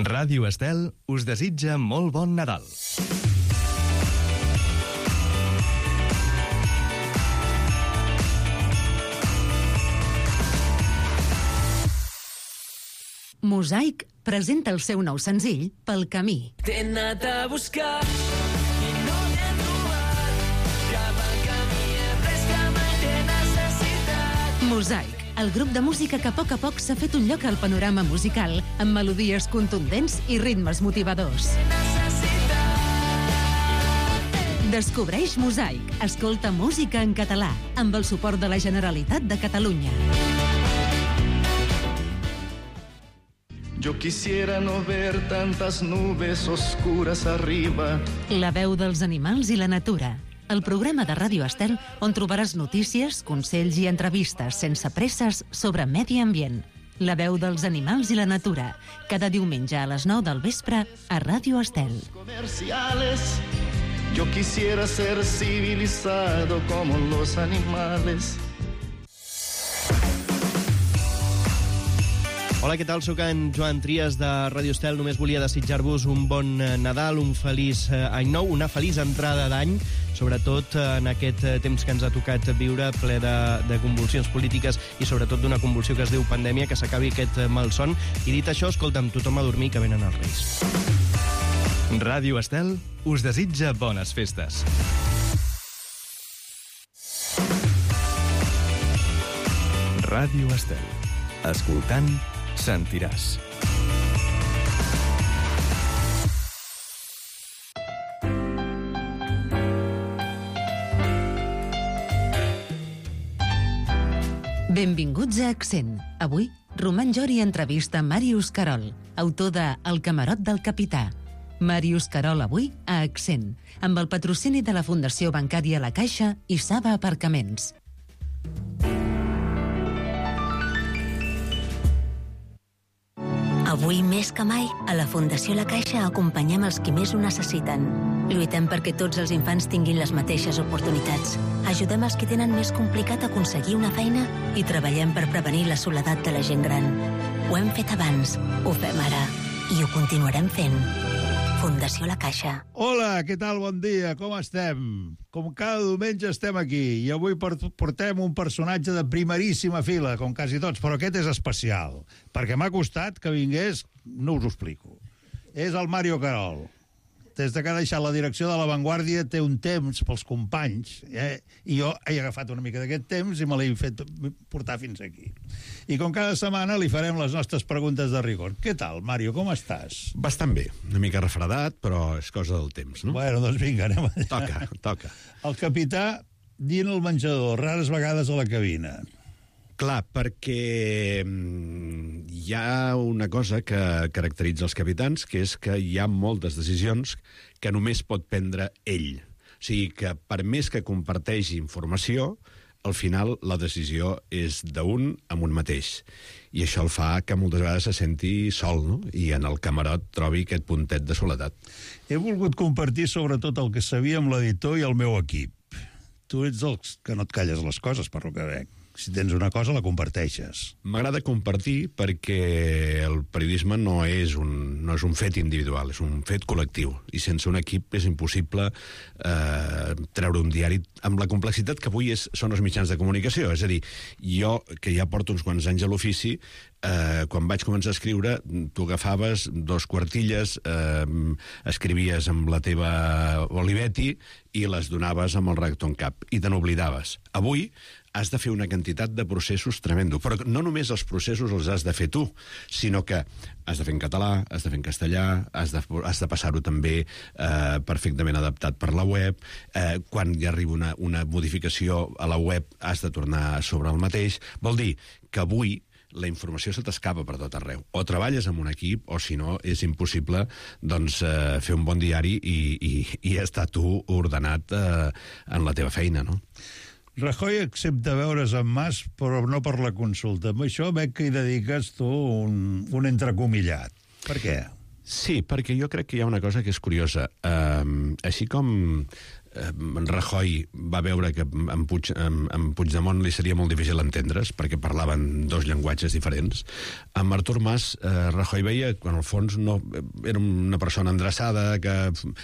Ràdio Estel us desitja molt bon Nadal. Mosaic presenta el seu nou senzill, Pel camí. T'he anat a buscar i no t'he trobat. Cap al camí he pres que mai t'he necessitat. Mosaic, el grup de música que a poc s'ha fet un lloc al panorama musical, amb melodies contundents i ritmes motivadors. Descobreix Mosaic. Escolta música en català, amb el suport de la Generalitat de Catalunya. Yo quisiera no ver tantas nubes oscuras arriba. La veu dels animals i la natura. El programa de Ràdio Estel on trobaràs notícies, consells i entrevistes sense presses sobre medi ambient. La veu dels animals i la natura. Cada diumenge a les 9 del vespre a Ràdio Estel. Comerciales. Yo quisiera ser civilizado como los animales. Hola, què tal? Soc en Joan Trias de Ràdio Estel. Només volia desitjar-vos un bon Nadal, un feliç any nou, una feliç entrada d'any, sobretot en aquest temps que ens ha tocat viure, ple de convulsions polítiques i sobretot d'una convulsió que es diu pandèmia, que s'acabi aquest malson. I dit això, escolta'm, tothom a dormir, que venen els Reis. Ràdio Estel us desitja bones festes. Ràdio Estel. Escoltant sentiràs. Benvinguts a Accent. Avui, Roman Jori entrevista Màrius Carol, autor de El camarot del capità. Màrius Carol avui a Accent, amb el patrocini de la Fundació Bancària La Caixa i Saba Aparcaments. Avui més que mai, a la Fundació La Caixa acompanyem els qui més ho necessiten. Lluitem perquè tots els infants tinguin les mateixes oportunitats. Ajudem els que tenen més complicat aconseguir una feina i treballem per prevenir la soledat de la gent gran. Ho hem fet abans, ho fem ara i ho continuarem fent. Fundació La Caixa. Hola, què tal? Bon dia, com estem? Com cada diumenge estem aquí i avui portem un personatge de primeríssima fila, com quasi tots, però aquest és especial, perquè m'ha costat que vingués, no us ho explico. És el Màrius Carol. Des que ha deixat la direcció de La Vanguardia té un temps pels companys, i jo he agafat una mica d'aquest temps i me l'he fet portar fins aquí. I com cada setmana li farem les nostres preguntes de rigor. Què tal, Màrius, com estàs? Bastant bé, una mica refredat, però és cosa del temps, no? Bueno, doncs vinga, anem allà. Toca. El capità dient al menjador, rares vegades a la cabina. Clar, perquè hi ha una cosa que caracteritza els capitans, que és que hi ha moltes decisions que només pot prendre ell. O sigui que per més que comparteixi informació, al final la decisió és d'un amb un mateix. I això el fa que moltes vegades se senti sol, no? I en el camarot trobi aquest puntet de soledat. He volgut compartir sobretot el que sabia amb l'editor i el meu equip. Tu ets els que no et calles les coses, per lo que veig. Si tens una cosa, la comparteixes. M'agrada compartir perquè el periodisme no és un fet individual, és un fet col·lectiu. I sense un equip és impossible treure un diari amb la complexitat que avui són els mitjans de comunicació. És a dir, jo, que ja porto uns quants anys a l'ofici, quan vaig començar a escriure, tu agafaves 2 quartilles, escrivies amb la teva Olivetti i les donaves amb el redactor en cap, i te n'oblidaves. Avui has de fer una quantitat de processos tremendo, però no només els processos els has de fer tu, sinó que has de fer en català, has de fer en castellà, has de passar-ho també perfectament adaptat per la web, quan hi arriba una modificació a la web has de tornar sobre el mateix. Vol dir que avui la informació se t'escapa per tot arreu. O treballes amb un equip, o si no, és impossible doncs, fer un bon diari i estar tu ordenat en la teva feina, no? Rajoy accepta veure's amb Mas, però no per la consulta. Amb això veig que hi dediques tu un entrecomillat. Per què? Sí, perquè jo crec que hi ha una cosa que és curiosa. Així com Rajoy va veure que amb Puigdemont li seria molt difícil entendre's, perquè parlaven dos llenguatges diferents. Amb Artur Mas, Rajoy veia que, en el fons, no, era una persona endreçada, que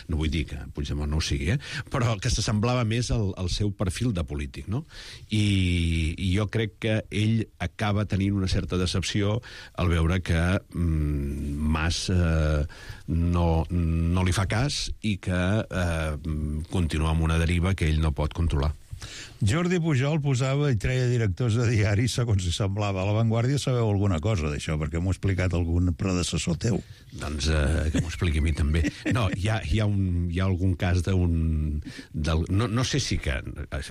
no vull dir que Puigdemont no ho sigui, però que s'assemblava més al seu perfil de polític, no? I jo crec que ell acaba tenint una certa decepció al veure que Mas no li fa cas i que continua amb una deriva que ell no pot controlar. Jordi Pujol posava i treia directors de diaris segons si semblava. A La Vanguardia sabeu alguna cosa d'això, perquè m'ho ha explicat algun predecessor teu. Doncs que m'ho expliqui a mi també. No, hi ha algun cas d'un... No sé si que...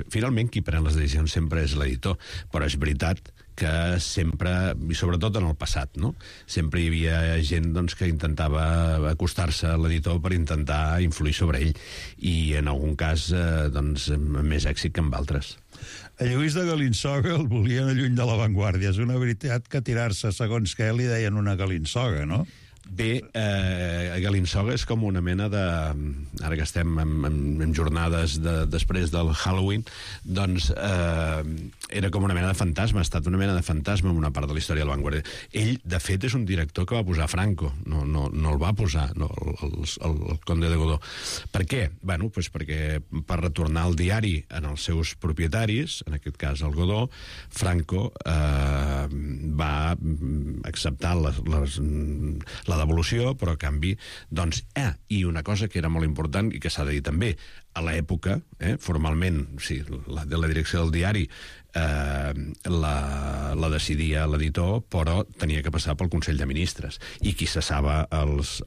Finalment qui pren les decisions sempre és l'editor, però és veritat que sempre, i sobretot en el passat, no? Sempre hi havia gent doncs, que intentava acostar-se a l'editor per intentar influir sobre ell, i en algun cas doncs, amb més èxit que amb altres. A Lluís de Galinsoga el volien lluny de La Vanguardia. És una veritat que tirar-se segons què li deien una galinsoga, no? Bé, Galinsoga és com una mena de... Ara que estem en jornades després del Halloween, doncs era com una mena de fantasma, ha estat una mena de fantasma en una part de la història de La Vanguardia. Ell, de fet, és un director que va posar Franco, no el va posar, el Conde de Godó. Per què? Bueno, doncs perquè per retornar el diari en els seus propietaris, en aquest cas el Godó, Franco va acceptar la devolució, però a canvi, doncs, i una cosa que era molt important i que s'ha de dir també, a l'època, formalment, sí, la direcció del diari la decidia l'editor, però tenia que passar pel Consell de Ministres, i qui cessava els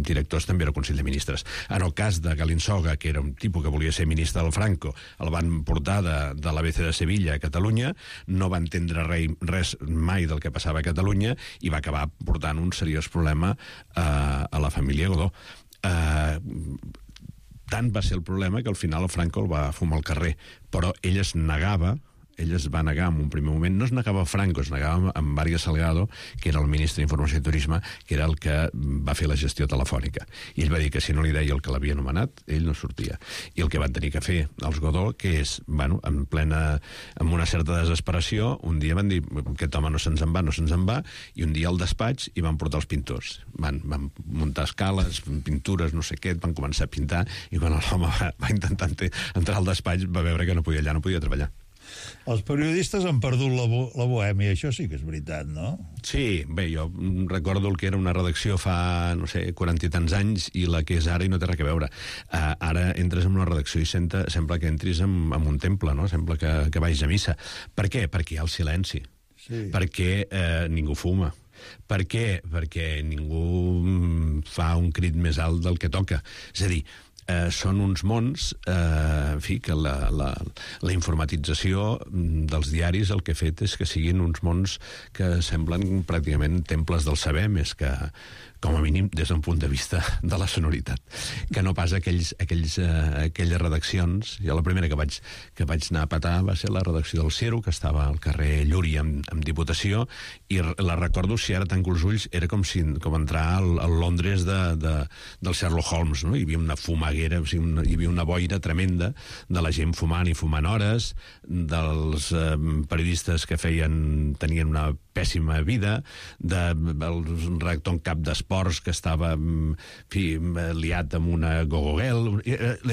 directors també era el Consell de Ministres. En el cas de Galinsoga, que era un tipus que volia ser ministre del Franco, el van portar de l'ABC de Sevilla a Catalunya, no va entendre res mai del que passava a Catalunya i va acabar portant un seriós problema a la família Godó. Tant va ser el problema que al final el Franco el va fumar al carrer, però ell es va negar en un primer moment, no es negava a Franco, es negava amb Vargas Salgado, que era el ministre d'Informació i Turisme, que era el que va fer la gestió telefònica. I ell va dir que si no li deia el que l'havia nomenat, ell no sortia. I el que van tenir que fer els Godó, que és, bueno, amb una certa desesperació, un dia van dir, aquest home no se'ns en va, i un dia al despatx hi van portar els pintors. Van muntar escales, pintures, no sé què, van començar a pintar, i quan l'home va intentar entrar al despatx va veure que no podia treballar. Els periodistes han perdut la bohèmia, això sí que és veritat, no? Sí, bé, jo recordo el que era una redacció fa, no sé, 40 i tants anys i la que és ara i no té res a veure. Ara entres en una redacció i sembla que entris en un temple, no? Sembla que vagis a missa. Per què? Perquè hi ha el silenci. Sí. Perquè ningú fuma. Per què? Perquè ningú fa un crit més alt del que toca. És a dir, són uns mons, en fi, que la informatització dels diaris el que ha fet és que siguin uns mons que semblen pràcticament temples del saber, més que, com a mínim, des d'un punt de vista de la sonoritat. Que no pas aquelles redaccions. Jo la primera que vaig anar a petar va ser la redacció del Ciro, que estava al carrer Llúria amb Diputació, i la recordo, si ara tanco els ulls, era com entrar al Londres del Sherlock Holmes, no? Hi havia una fumaguera, hi havia una boira tremenda de la gent fumant i fumant hores, dels periodistes que tenien una pèssima vida, del redactor en cap d'esports que estava liat amb una gogogel.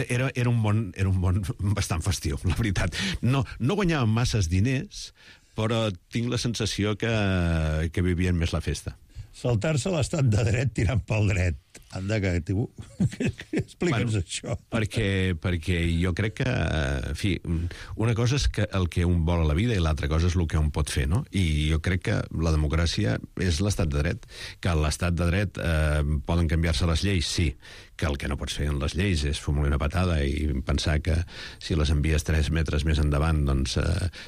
Era un món bastant festiu, la veritat. No guanyaven masses diners, però tinc la sensació que vivien més la festa. Saltar-se l'estat de dret tirant pel dret. Anda, explica'ns això. Perquè jo crec que, en fi, una cosa és el que un vol a la vida i l'altra cosa és el que un pot fer, no? I jo crec que la democràcia és l'estat de dret. Que a l'estat de dret poden canviar-se les lleis, sí. Que el que no pots fer en les lleis és fumar una patada i pensar que si les envies 3 metres més endavant doncs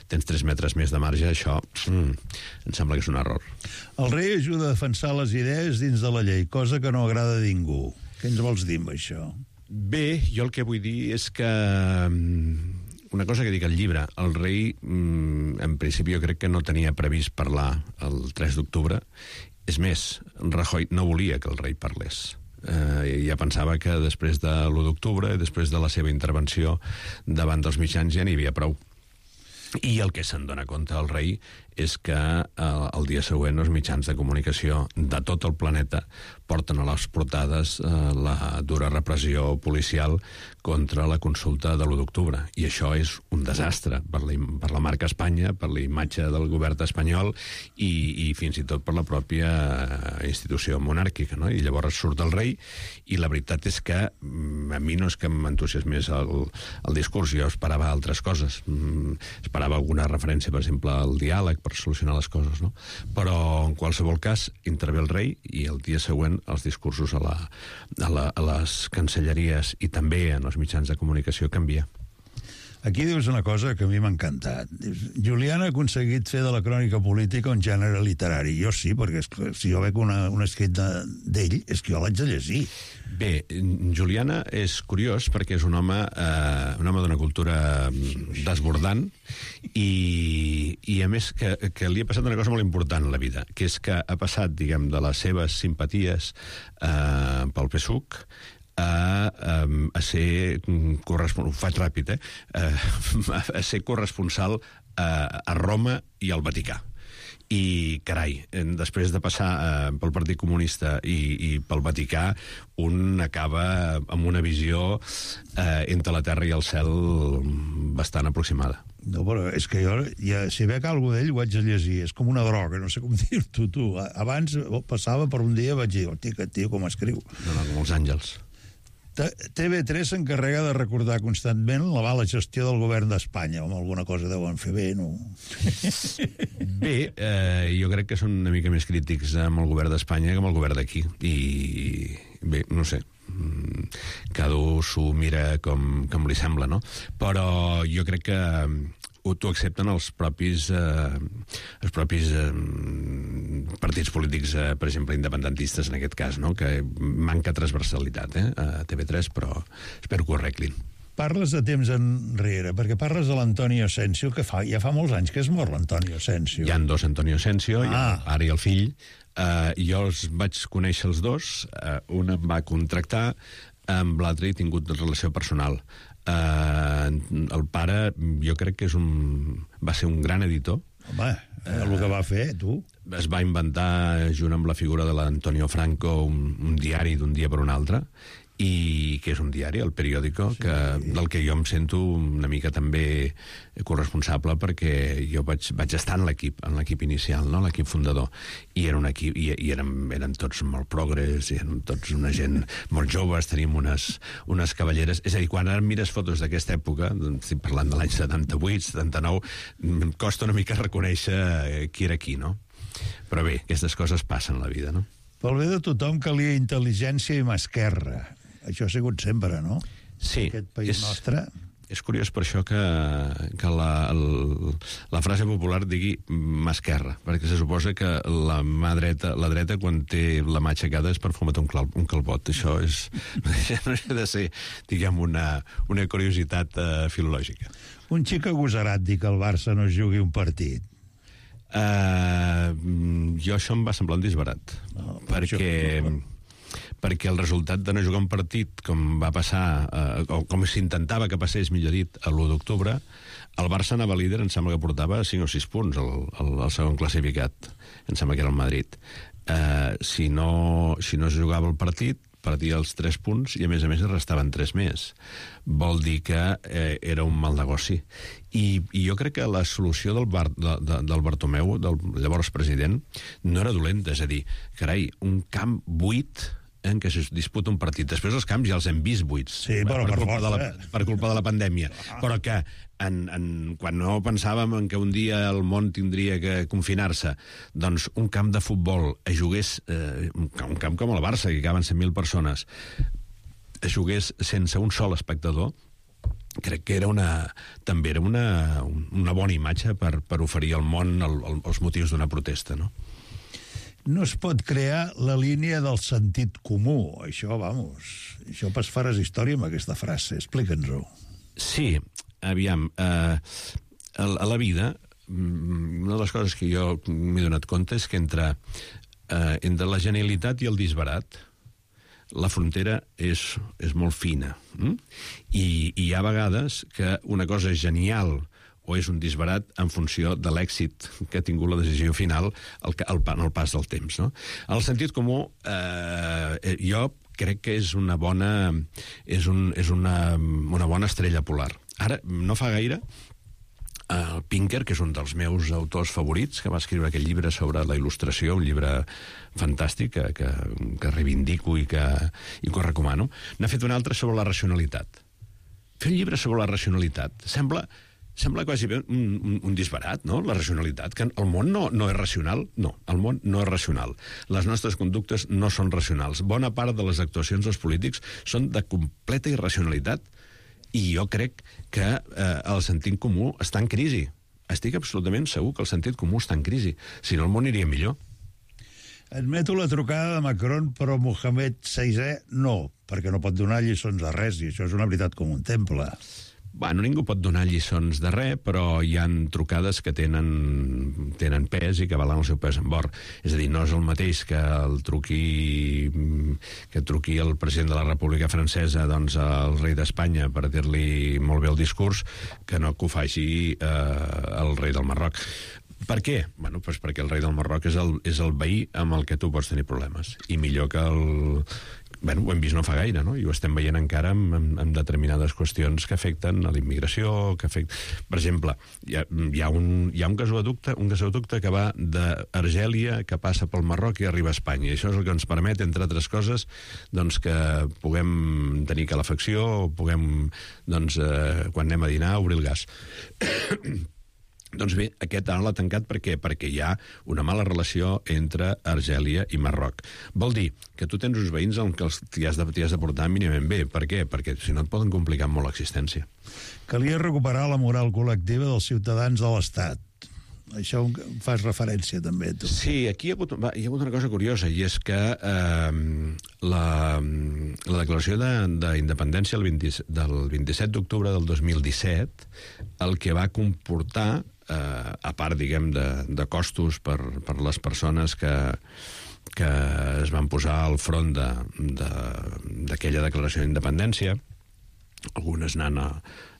tens 3 metres més de marge, això em sembla que és un error. El rei ajuda a defensar les idees dins de la llei, cosa que no agrada a ningú. Què ens vols dir amb això? Bé, jo el que vull dir és que una cosa que dic al llibre, el rei en principi jo crec que no tenia previst parlar el 3 d'octubre. És més, Rajoy no volia que el rei parlés. Ja pensava que després de l'1 d'octubre, després de la seva intervenció davant dels mitjans, ja n'hi havia prou. I el que se'n dona compte el rei és que el dia següent els mitjans de comunicació de tot el planeta porten a les portades la dura repressió policial contra la consulta de l'1 d'octubre. I això és un desastre per la marca Espanya, per la imatge del govern espanyol i fins i tot per la pròpia institució monàrquica, no? I llavors surt el rei i la veritat és que a mi no és que m'entusiasmés el discurs, jo esperava altres coses. Esperava alguna referència, per exemple, al diàleg per solucionar les coses, no? Però en qualsevol cas intervé el rei i el dia següent els discursos a les cancelleries i també en els mitjans de comunicació canvia. Aquí dius una cosa que a mi m'ha encantat. Dius, Julián ha aconseguit fer de la crònica política un gènere literari. Jo sí, perquè si jo veig un escrit d'ell, és que jo l'haig de llegir. Bé, Juliana és curiós perquè és un home d'una cultura desbordant i a més que li ha passat una cosa molt important a la vida, que és que ha passat, diguem, de les seves simpaties pel PSUC a ser corresponsal, ho faig ràpid, a ser corresponsal a Roma i al Vaticà. I, carai, després de passar pel Partit Comunista i pel Vaticà, un acaba amb una visió entre la terra i el cel bastant aproximada. No, però és que jo, si veig alguna d'ell, ho haig de llegir. És com una droga, no sé com dir-t'ho, tu. Abans passava per un dia i vaig dir, hosti, aquest tio com escriu. No, com els àngels. TV3 s'encarrega de recordar constantment la mala gestió del govern d'Espanya, o alguna cosa deuen fer bé, no? Bé, jo crec que són una mica més crítics amb el govern d'Espanya que amb el govern d'aquí. I bé, no sé, cada un s'ho mira com li sembla, no? Però jo crec que t'ho accepten els propis partits polítics, per exemple, independentistes, en aquest cas, no? Que manca transversalitat a TV3, però espero que ho arreglin. Parles de temps enrere, perquè parles de l'Antonio Asensio, que ja fa molts anys que es mor l'Antonio Asensio. Hi ha dos Antonio Asensio, el pare i el fill. Jo els vaig conèixer els dos, un em va contractar, amb l'altre he tingut relació personal. El pare, jo crec que va ser un gran editor. Home, el que va fer, tu. Es va inventar, junt amb la figura de l'Antonio Franco, un diari d'un dia per un altre, i que és un diari, el Periódico, sí, del que jo em sento una mica també corresponsable, perquè jo vaig estar en l'equip inicial, no? L'equip fundador, i era un equip, i eren tots molt progres, i eren tots una gent molt joves, teníem unes cavalleres, és a dir, quan ara mires fotos d'aquesta època, estic parlant de l'any 78, 79, costa una mica reconèixer qui era qui, no? Però bé, aquestes coses passen a la vida, no? Pel bé de tothom calia intel·ligència i mà esquerra. Això ha sigut sempre, no? Sí. Aquest país nostre. És curiós per això que la frase popular digui mà esquerra, perquè se suposa que la dreta, quan té la mà aixecada, és per fumetar un calbot. Això no deixa de ser, diguem, una curiositat filològica. Un xic agosarat dir que el Barça no es jugui un partit. Jo això em va semblar un disbarat, perquè el resultat de no jugar un partit, com va passar, o com s'intentava que passés, millor dit, l'1 d'octubre, el Barça anava líder, em sembla que portava 5 o 6 punts al segon classificat, em sembla que era el Madrid. Si no es jugava el partit, perdia els 3 punts i, a més, restaven 3 més. Vol dir que era un mal negoci. I jo crec que la solució del Bartomeu, del llavors president, no era dolenta. És a dir, carai, un camp buit en què es disputa un partit. Després els camps ja els hem vist buits, sí, però per culpa de la pandèmia. Però que quan no pensàvem en que un dia el món tindria que confinar-se, doncs un camp de futbol es jugués, un camp com el Barça, que caben 100.000 persones, es jugués sense un sol espectador, crec que també era una bona imatge per oferir al món els motius d'una protesta, no? No es pot crear la línia del sentit comú. Això faràs història amb aquesta frase. Explica'ns-ho. Sí, aviam. A la vida, una de les coses que jo m'he donat compte és que entre la genialitat i el disbarat, la frontera és molt fina. I hi ha vegades que una cosa és genial o és un disbarat en funció de l'èxit que ha tingut la decisió final en el pas del temps. No? El sentit comú, jo crec que és una bona estrella polar. Ara, no fa gaire, el Pinker, que és un dels meus autors favorits, que va escriure aquell llibre sobre la il·lustració, un llibre fantàstic que reivindico i que ho recomano, n'ha fet un altre sobre la racionalitat. Fer un llibre sobre la racionalitat sembla quasi bé un disbarat, no?, la racionalitat, que el món no és racional. No, el món no és racional. Les nostres conductes no són racionals. Bona part de les actuacions dels polítics són de completa irracionalitat, i jo crec que el sentit comú està en crisi. Estic absolutament segur que el sentit comú està en crisi. Si no, el món iria millor. Admeto la trucada de Macron, però Mohamed VI no, perquè no pot donar lliçons de res, i això és una veritat com un temple. Bueno, ningú pot donar lliçons de res, però hi han trucades que tenen pes i que valen el seu pes en or. És a dir, no és el mateix que truqui el president de la República Francesa doncs, al rei d'Espanya per dir-li molt bé el discurs, que no que ho faci el rei del Marroc. Per què? Bueno, doncs perquè el rei del Marroc és el veí amb el que tu pots tenir problemes. I millor que Bueno, ho hem vist no fa gaire, no? I ho estem veient encara amb determinades qüestions que afecten a la immigració, Per exemple, hi ha un gasoducte que va d'Argèlia, que passa pel Marroc i arriba a Espanya. I això és el que ens permet, entre altres coses, doncs, que puguem tenir calefacció o puguem, doncs, quan anem a dinar, obrir el gas. Doncs bé, aquest ara l'ha tancat per què? Perquè hi ha una mala relació entre Argèlia i Marroc. Vol dir que tu tens uns veïns amb què t'hi has de portar mínimament bé. Per què? Perquè si no et poden complicar molt l'existència. Calia recuperar la moral col·lectiva dels ciutadans de l'Estat. Això fas referència també, tu. Sí, aquí hi ha hagut una cosa curiosa, i és que la declaració d'independència del 27 d'octubre del 2017 el que va comportar, a part, diguem, de costos per les persones que es van posar al front d'aquella declaració d'independència, algunes anant a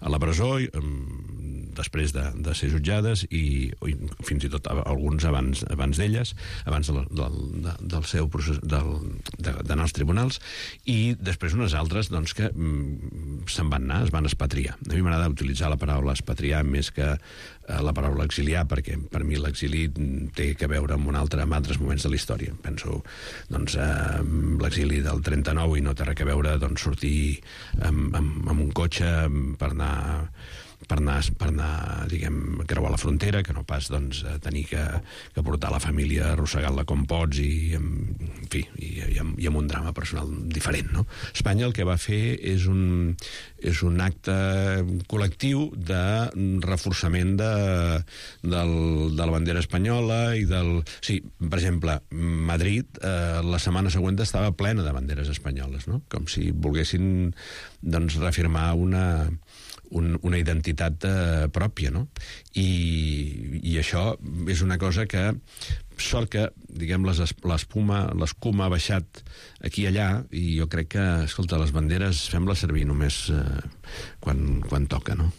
la presó després de ser jutjades i fins i tot alguns abans d'elles, abans del seu procés d'anar als tribunals, i després unes altres doncs, que se'n van anar, es van expatriar. A mi m'agrada utilitzar la paraula expatriar més que la paraula exiliar, perquè per mi l'exili té que veure amb altres moments de la història. Penso doncs, l'exili del 39 i no té res a veure doncs, sortir amb un cotxe per anar, diguem, creuar la frontera, que no pas doncs, tenir que portar la família arrossegant-la com pots i amb un drama personal diferent, no? Espanya el que va fer és un acte col·lectiu de reforçament de la bandera espanyola i Sí, per exemple, Madrid la setmana següent estava plena de banderes espanyoles, no? Com si volguessin doncs, reafirmar una identitat pròpia, no? I això és una cosa que sort que, diguem, l'escuma ha baixat aquí i allà, i jo crec que, escolta, les banderes fem-les servir només quan toca, no?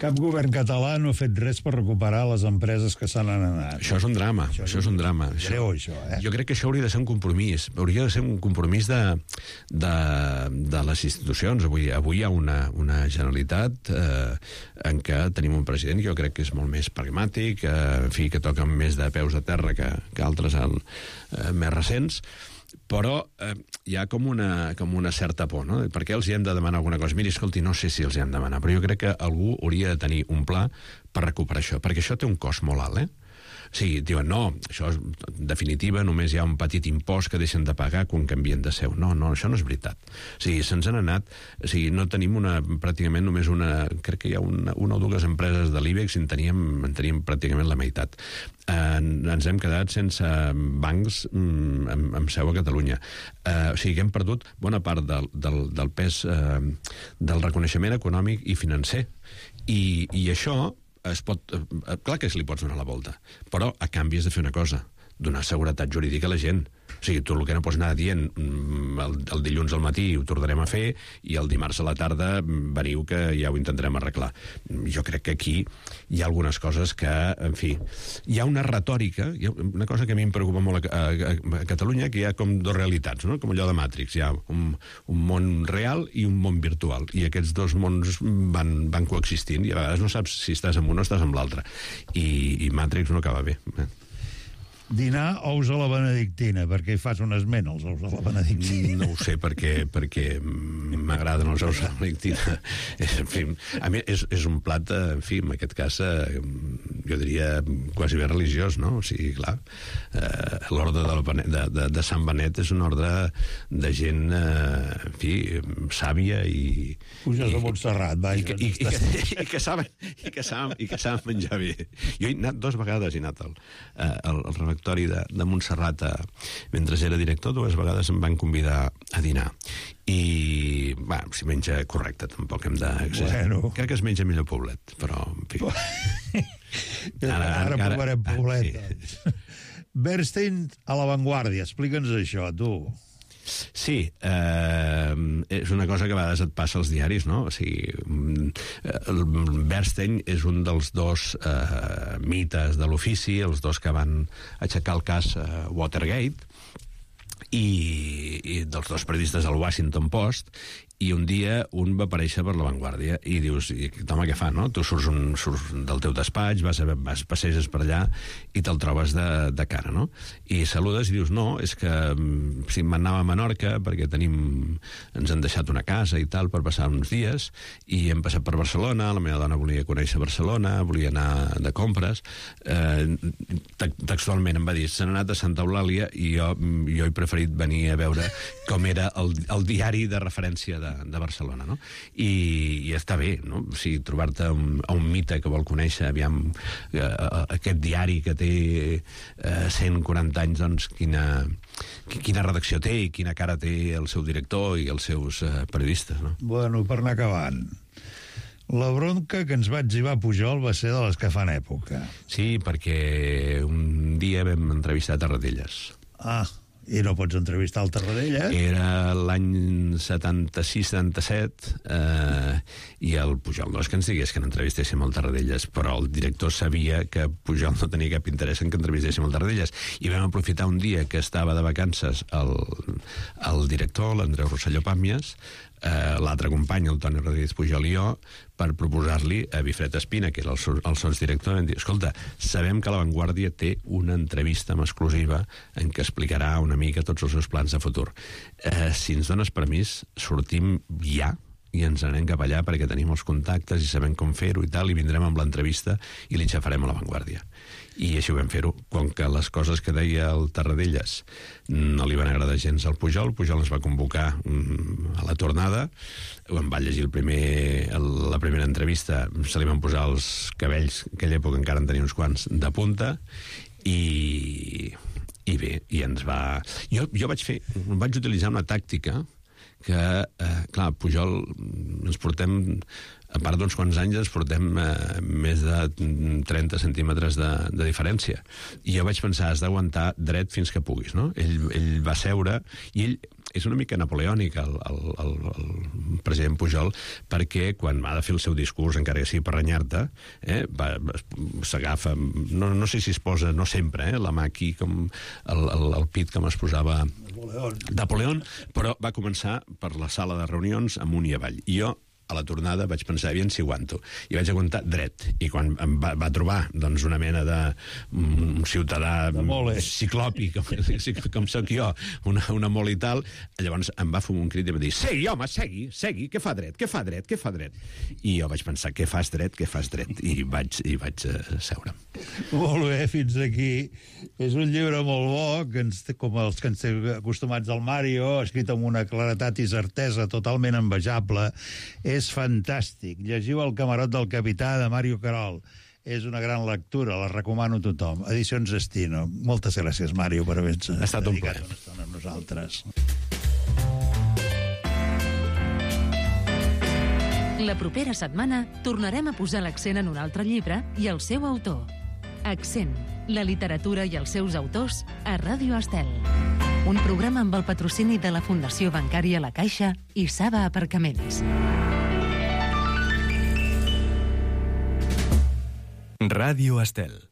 Cap govern català no ha fet res per recuperar les empreses que se n'han anat. Això és un drama, això és un drama. Greu, això, Jo crec que això hauria de ser un compromís. Hauria de ser un compromís de les institucions. Avui hi ha una Generalitat en què tenim un president que jo crec que és molt més pragmàtic, en fi, que toca més de peus a terra que altres més recents, però hi ha com una certa por, no? Per què els hi hem de demanar alguna cosa? Miri, escolti, no sé si els hi hem de demanar, però jo crec que algú hauria de tenir un pla per recuperar això, perquè això té un cost molt alt, O sigui, diuen, no, això en definitiva només hi ha un petit impost que deixen de pagar quan canvien de seu. No, això no és veritat. O sigui, se'ns han anat... O sigui, no tenim pràcticament només crec que hi ha una o dues empreses de l'IBEX i en teníem pràcticament la meitat. Ens hem quedat sense bancs amb seu a Catalunya. O sigui, que hem perdut bona part del pes del reconeixement econòmic i financer. I això... clar que li pots donar la volta, però a canvi has de fer una cosa, donar seguretat jurídica a la gent. O sigui, tu el que no pots anar dient el dilluns al matí ho tornarem a fer i el dimarts a la tarda veniu que ja ho intentarem arreglar. Jo crec que aquí hi ha algunes coses que, en fi, hi ha una retòrica, hi ha una cosa que a mi em preocupa molt a Catalunya, que hi ha com dues realitats, no? Com allò de Matrix, hi ha un món real i un món virtual, i aquests dos mons van coexistint, i a vegades no saps si estàs en un o estàs en l'altre, i Matrix no acaba bé. Dinar ous a la benedictina, perquè hi fas un esment als ous a la benedictina. No ho sé, perquè m'agraden els ous a la benedictina. En fi, a mi és un plat, en fi, en aquest cas, jo diria quasi bé religiós, no? O sigui, clar, l'ordre de Sant Benet és un ordre de gent, en fi, sàvia i... Puges a Montserrat, vaja. I que saben menjar bé. Jo he anat 2 vegades, he anat al refectori de Montserrat mentre era director, 2 vegades em van convidar a dinar i, bueno, si menja correcte tampoc hem d'exagerar. Bueno. Crec que es menja millor Poblet, però en fi. Ara provarem Poblet. Sí. Bernstein a l'avantguàrdia, explica'ns això, tu. Sí, és una cosa que a vegades et passa als diaris, no? O sigui, Bernstein és un dels 2 mites de l'ofici, els 2 que van aixecar el cas Watergate, i dels 2 periodistes del Washington Post, i un dia un va aparèixer per l'avantguàrdia i dius, home, què fa, no? Tu surts del teu despatx, passeges per allà i te'l trobes de cara, no? I saludes i dius, no, és que si m'anava a Menorca perquè ens han deixat una casa i tal per passar uns dies i hem passat per Barcelona, la meva dona volia conèixer Barcelona, volia anar de compres, textualment em va dir, se n'ha anat a Santa Eulàlia i jo he preferit venir a veure com era el diari de referència de Barcelona, no? I està bé, no? O sigui, trobar-te a un mite que vol conèixer, aviam, aquest diari que té 140 anys, doncs, quina redacció té i quina cara té el seu director i els seus periodistes, no? Bueno, per anar acabant, la bronca que ens va etzibar Pujol va ser de les que fan època. Sí, perquè un dia vam entrevistar Tarradellas. I no pots entrevistar el Tarradellas? Era l'any 76-77 i el Pujol no és que ens digués que n'entrevistéssim el Tarradellas, però el director sabia que Pujol no tenia cap interès en que entrevistéssim el Tarradellas, i vam aprofitar un dia que estava de vacances el director, l'Andreu Rosselló Pàmies, l'altre company, el Toni Rodríguez Pujol i jo, per proposar-li a Bifret Espina, que era el sotsdirector, vam dir, escolta, sabem que La Vanguardia té una entrevista en exclusiva en què explicarà una mica tots els seus plans de futur. Si ens dones permís, sortim ja i ens anem cap allà perquè tenim els contactes i sabem com fer-ho i tal, i vindrem amb l'entrevista i li xafarem a La Vanguardia. I així ho vam fer-ho. Com que les coses que deia el Tarradellas no li van agradar gens al Pujol ens va convocar a la tornada, em va llegir la primera entrevista, se li van posar els cabells, en aquella època encara en tenia uns quants, de punta, i bé, i ens va... Jo vaig utilitzar una tàctica que, clar, Pujol ens portem, a part d'uns quants anys, ens portem més de 30 centímetres de diferència. I jo vaig pensar, has d'aguantar dret fins que puguis, no? Ell va seure, i ell és una mica napoleònic, el president Pujol, perquè quan ha de fer el seu discurs, encara que sigui per renyar-te, s'agafa, no sé si es posa, no sempre, la mà aquí, com el pit com es posava Napoleón, però va començar per la sala de reunions amunt i avall. I jo, a la tornada, vaig pensar, aviam si aguanto. I vaig aguantar dret. I quan em va trobar, doncs, una mena de ciutadà ciclopi, com soc jo, una mole i tal, llavors em va fumar un crit i em va dir, segui, home, segui, què fa dret? I jo vaig pensar, què fas dret? I vaig seure. Molt bé, fins aquí. És un llibre molt bo, com els que ens té acostumats al Mario, escrit amb una claretat i certesa totalment envejable. És fantàstic. Llegiu El camarot del capità, de Mario Querol. És una gran lectura, la recomano a tothom. Edicions Destino. Moltes gràcies, Mario, per haver-nos dedicat una estona amb nosaltres. La propera setmana tornarem a posar l'accent en un altre llibre i el seu autor. Accent, la literatura i els seus autors a Ràdio Estel. Un programa amb el patrocini de la Fundació Bancària La Caixa i Saba Aparcaments. Ràdio Estel.